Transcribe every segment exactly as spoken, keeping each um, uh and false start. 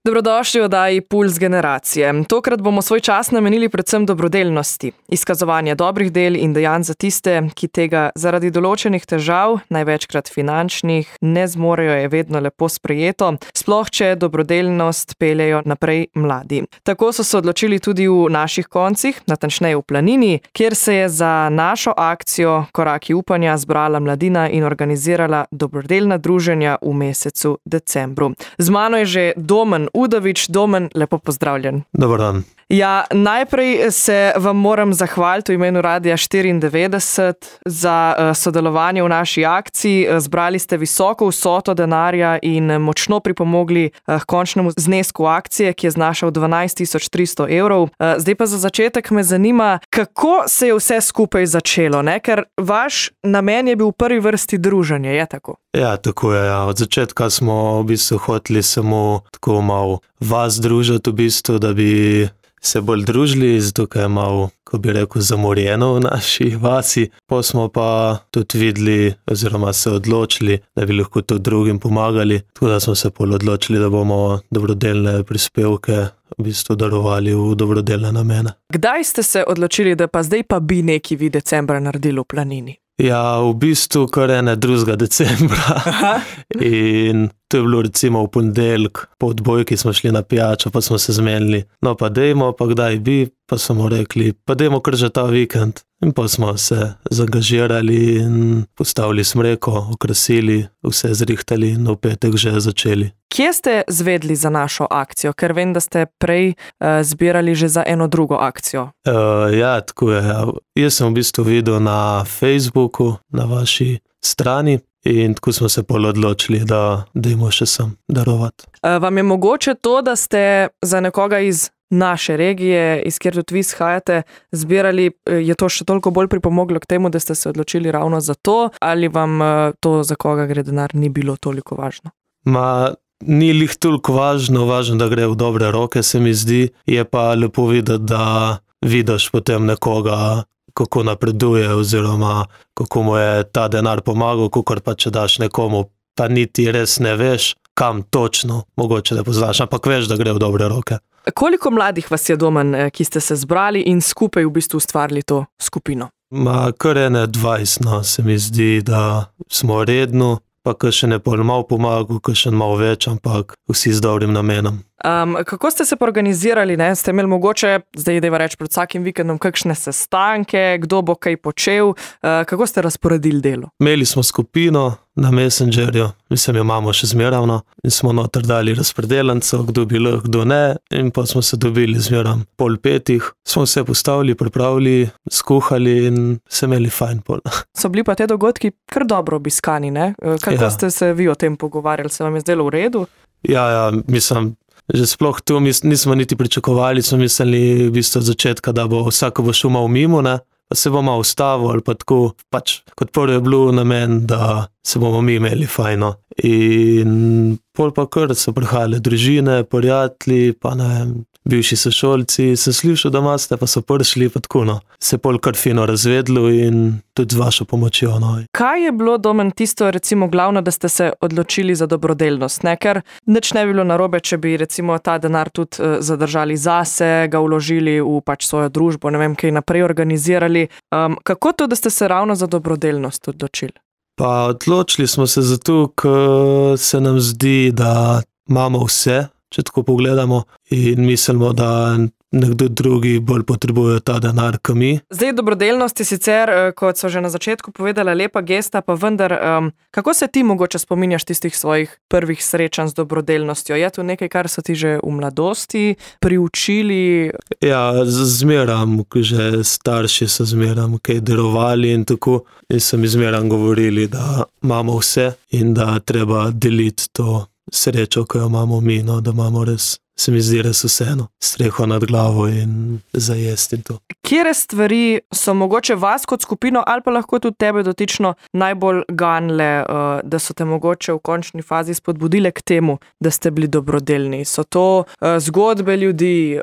Dobrodošli v oddaji Puls generacije. Tokrat bomo svoj čas namenili predvsem dobrodelnosti, izkazovanje dobrih del in dejanj za tiste, ki tega zaradi določenih težav, največkrat finančnih, ne zmorejo, je vedno lepo sprejeto, sploh če dobrodelnost peljejo naprej mladi. Tako so se odločili tudi v naših koncih, natančneje v Planini, kjer se je za našo akcijo Koraki upanja zbrala mladina in organizirala dobrodelna druženja v mesecu decembru. Z mano je že Domen Udovič. Domen, lepo pozdravljen. Dobar dan. Ja, najprej se vam moram zahvaliti v imenu Radia štiriindevetdeset za uh, sodelovanje v naši akciji. Zbrali ste visoko vsoto denarja in močno pripomogli uh, k končnemu znesku akcije, ki je znašal dvanajst tisoč tristo evrov. Uh, zdaj pa za začetek me zanima, kako se je vse skupaj začelo, ne? Ker vaš namen je bil v prvi vrsti druženje, je tako? Ja, tako je. Ja. Od začetka smo v bistvu hoteli samo tako malo vas družiti v bistvu, da bi se bolj družili, zato je malo, ko bi rekel, zamorjeno v naši vasi. Pa smo pa tudi videli, oziroma se odločili, da bi lahko tudi drugim pomagali. Tako da smo se pol odločili, da bomo dobrodelne prispevke v bistvu darovali v dobrodelne namene. Kdaj ste se odločili, da pa zdaj pa bi neki vi decembra naredili v Planini? Ja, v bistvu kar ene drugega decembra. Aha. In to je bilo recimo v ponedeljek, po odbojki smo šli na pijačo, pa smo se zmenili, no pa dejmo, pa kdaj bi, pa smo rekli, pa dejmo kar že ta vikend. In pa smo se zaangažirali in postavili smreko, okrasili, vse zrihtali in v petek že začeli. Kje ste zvedli za našo akcijo? Ker vem, da ste prej uh, zbirali že za eno drugo akcijo. Uh, ja, tako je. Ja. Jaz sem v bistvu videl na Facebooku, na vaši strani, in tako smo se pol odločili, da dajmo še sem darovati. Uh, vam je mogoče to, da ste za nekoga iz naše regije, iz kjer tudi vi shajate, zbirali, je to še toliko bolj pripomoglo k temu, da ste se odločili ravno za to, ali vam to, za koga gre denar, ni bilo toliko važno? Ma, ni lih toliko važno, važno, da gre v dobre roke, se mi zdi, je pa lepo videti, da vidiš potem nekoga, kako napreduje, oziroma kako mu je ta denar pomagal, kakor pa če daš nekomu, pa niti res ne veš, kam točno, mogoče ne poznaš, ampak veš, da gre v dobre roke. Koliko mladih vas je, Domen, ki ste se zbrali in skupaj v bistvu ustvarili to skupino? Ma, kar ene dvajset, no, se mi zdi, da smo redno, pa kakšen je pol malo pomagal, kakšen malo več, ampak vsi z dobrim namenom. Um, kako ste se organizirali, ne? Ste imeli mogoče, zdaj deva reči pred vsakim vikendom, kakšne sestanke, kdo bo kaj počel, uh, kako ste razporedili delo? Imeli smo skupino na Messengerju, mislim, jo imamo še zmeravno, in smo noter dali razpredelanco, kdo bi lahko, kdo ne, in pa smo se dobili zmeram pol petih, smo se postavili, pripravili, skuhali in se imeli fajn pol. So bili pa te dogodki kar dobro obiskani, ne? Kako ja. Ste se vi o tem pogovarjali, se vam je zdelo v redu? Ja, ja, mislim, že sploh tu nismo niti pričakovali, smo mislili v bistvu od začetka, da bo vsako bo šel malo mimo, ne? Pa se bomo ustavili ali pa tako, pač kot prvo je bilo namen, da se bomo mi imeli fajno. In pol pa kar so prihajale družine, prijatelji, pa ne vem, bivši sošolci, sem slišal, da imate, pa so prišli, pa tako, no. Se pol kar fino razvedlo in tudi z vašo pomočjo, no. Kaj je bilo, Domen, tisto recimo glavno, da ste se odločili za dobrodelnost, ne? Ker nič ne bi bilo narobe, če bi recimo ta denar tudi uh, zadržali zase, ga vložili v pač svojo družbo, ne vem, kaj naprej organizirali. Um, kako to, da ste se ravno za dobrodelnost odločili? Pa odločili smo se zato, ker se nam zdi, da imamo vse, če tako pogledamo, in mislimo, da nekdo drugi bolj potrebuje ta denar, kot mi. Zdaj, dobrodelnost je sicer, kot so že na začetku povedala, lepa gesta, pa vendar, um, kako se ti mogoče spominjaš tistih svojih prvih srečanj z dobrodelnostjo? Je to nekaj, kar so ti že v mladosti priučili? Ja, zmeram, že starši so zmeram kaj darovali in tako, in so mi zmeram govorili, da imamo vse in da treba deliti to srečo, ko jo imamo mi, no, da imamo res se mi zdi res vseeno. Streho nad glavo in za jesti in to. Kjere stvari so mogoče vas kot skupino ali pa lahko tudi tebe dotično najbolj ganle, da so te mogoče v končni fazi spodbudile k temu, da ste bili dobrodelni? So to zgodbe ljudi,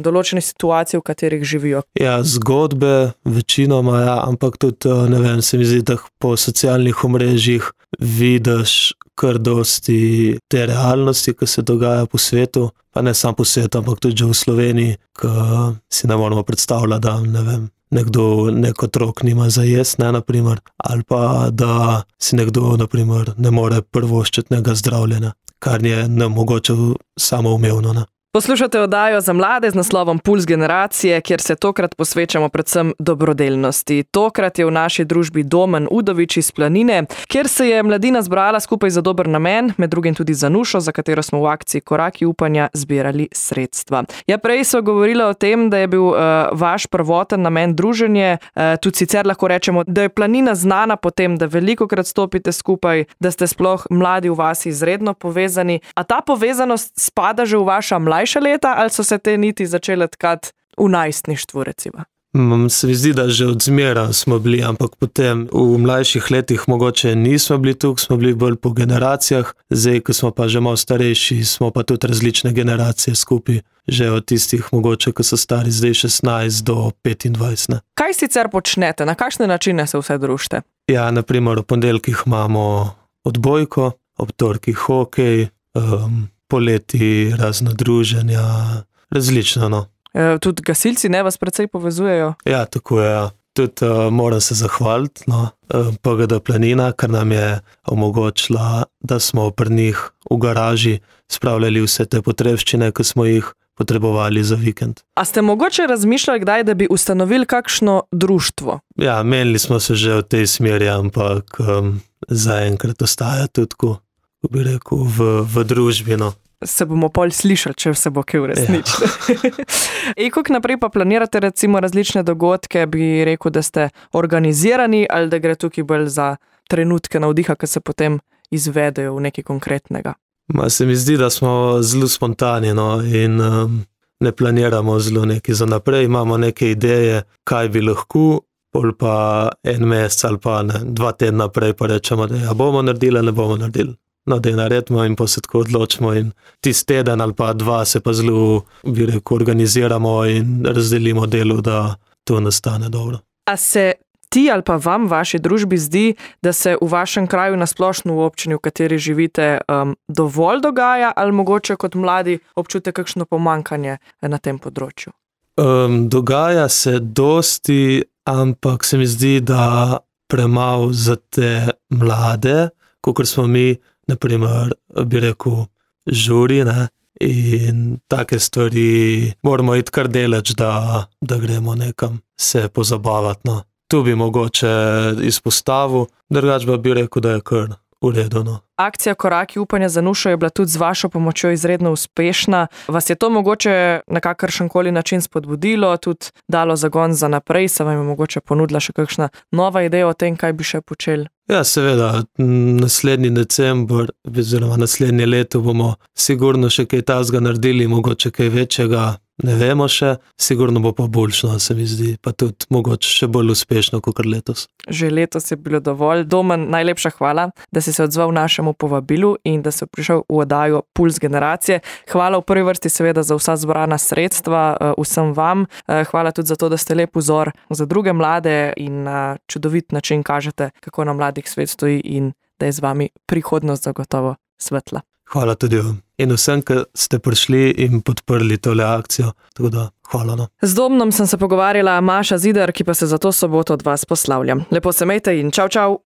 določene situacije, v katerih živijo? Ja, zgodbe večinoma, ja, ampak tudi, ne vem, se mi zdi, da po socialnih omrežjih vidiš kar dosti te realnosti, ki se dogaja po svetu, pa ne samo po svetu, ampak tudi že v Sloveniji, ki si ne moramo predstavljati, da ne vem, nekdo, nek otrok nima za jesti, ne, naprimer, ali pa da si nekdo, naprimer, ne more prvoščiti nekega zdravljenja, kar je nemogoče samoumevno, ne. Poslušate oddajo za mlade z naslovom Puls generacije, kjer se tokrat posvečamo predvsem dobrodelnosti. Tokrat je v naši družbi Domen Udovič iz Planine, kjer se je mladina zbrala skupaj za dober namen, med drugim tudi za Nušo, za katero smo v akciji Koraki upanja zbirali sredstva. Ja, prej so govorila o tem, da je bil uh, vaš prvoten namen druženje, uh, tudi sicer lahko rečemo, da je Planina znana po tem, da velikokrat stopite skupaj, da ste sploh mladi v vasi izredno povezani. A ta povezanost spada že v vaša mlajša leta, ali so se te niti začele tkati v najstništvu, recimo? Se mi zdi, da že od zmeraj smo bili, ampak potem v mlajših letih mogoče nismo bili tukaj, smo bili bolj po generacijah, zdaj, ko smo pa že malo starejši, smo pa tudi različne generacije skupaj, že od tistih mogoče, ko so stari zdaj šestnajst do petindvajset. Ne. Kaj sicer počnete? Na kakšne načine se vse družite? Ja, naprimer, v ponedeljkih imamo odbojko, ob torkih hokej, um, poleti razna druženja, različno, no. E, tudi gasilci ne vas precej povezujejo? Ja, tako je, ja. Tudi uh, moram se zahvaliti, no, P G D Planina, ker nam je omogočila, da smo pri njih v garaži spravljali vse te potrebščine, ki smo jih potrebovali za vikend. A ste mogoče razmišljali kdaj, da bi ustanovili kakšno društvo? Ja, menili smo se že v tej smeri, ampak um, zaenkrat ostaja tudi, ko bi rekel, v, v družbi, no. Se bomo pol slišali, če se bo kaj uresničilo. Ja. In kako naprej pa planirate recimo različne dogodke, bi rekel, da ste organizirani ali da gre tukaj bolj za trenutke navdiha, ki se potem izvedejo v nekaj konkretnega? Ma se mi zdi, da smo zelo spontani, no, in um, ne planiramo zelo nekaj za naprej, imamo neke ideje, kaj bi lahko, pol pa en mesec ali pa ne, dva tedna naprej pa rečemo, da ja, bomo naredili, ne bomo naredili. No, da je naredimo in pa se tako odločimo in tisti teden ali pa dva se pa zelo, bi rekel, organiziramo in razdelimo delo, da to nastane dobro. A se ti ali pa vam, vaši družbi zdi, da se v vašem kraju nasplošno v občini, v kateri živite, um, dovolj dogaja ali mogoče kot mladi občute kakšno pomanjkanje na tem področju? Um, dogaja se dosti, ampak se mi zdi, da premalo za te mlade, kakor smo mi, naprimer, bi rekel, žuri, ne, in take stvari moramo iti kar deleč, da, da gremo nekam se pozabavati, no. Tu bi mogoče izpostavil, drugače pa bi rekel, da je kar v redu, no. Akcija Koraki upanja za Nušo je bila tudi z vašo pomočjo izredno uspešna. Vas je to mogoče na kakršenkoli način spodbudilo, tudi dalo zagon za naprej, se vam je mogoče ponudila še kakšna nova ideja o tem, kaj bi še počeli? Ja, seveda, naslednji december, oziroma naslednje leto bomo sigurno še kaj tazga naredili, mogoče kaj večjega, ne vemo še, sigurno bo pa boljšno, se mi zdi, pa tudi mogoče še bolj uspešno, kot letos. Že letos je bilo dovolj. Domen, najlepša hvala, da si se odzval našemu povabilu in da si prišel v oddajo Puls generacije. Hvala v prvi vrsti seveda za vsa zbrana sredstva, vsem vam. Hvala tudi za to, da ste lep vzor za druge mlade in na čudovit način kažete, kako na mladih svet stoji in da je z vami prihodnost zagotovo svetla. Hvala tudi vam. In vsem, ki ste prišli in podprli tole akcijo, tako da hvala. No. Z Domnom sem se pogovarjala Maša Zidar, ki pa se za to soboto od vas poslavljam. Lepo se imejte in čau, čau!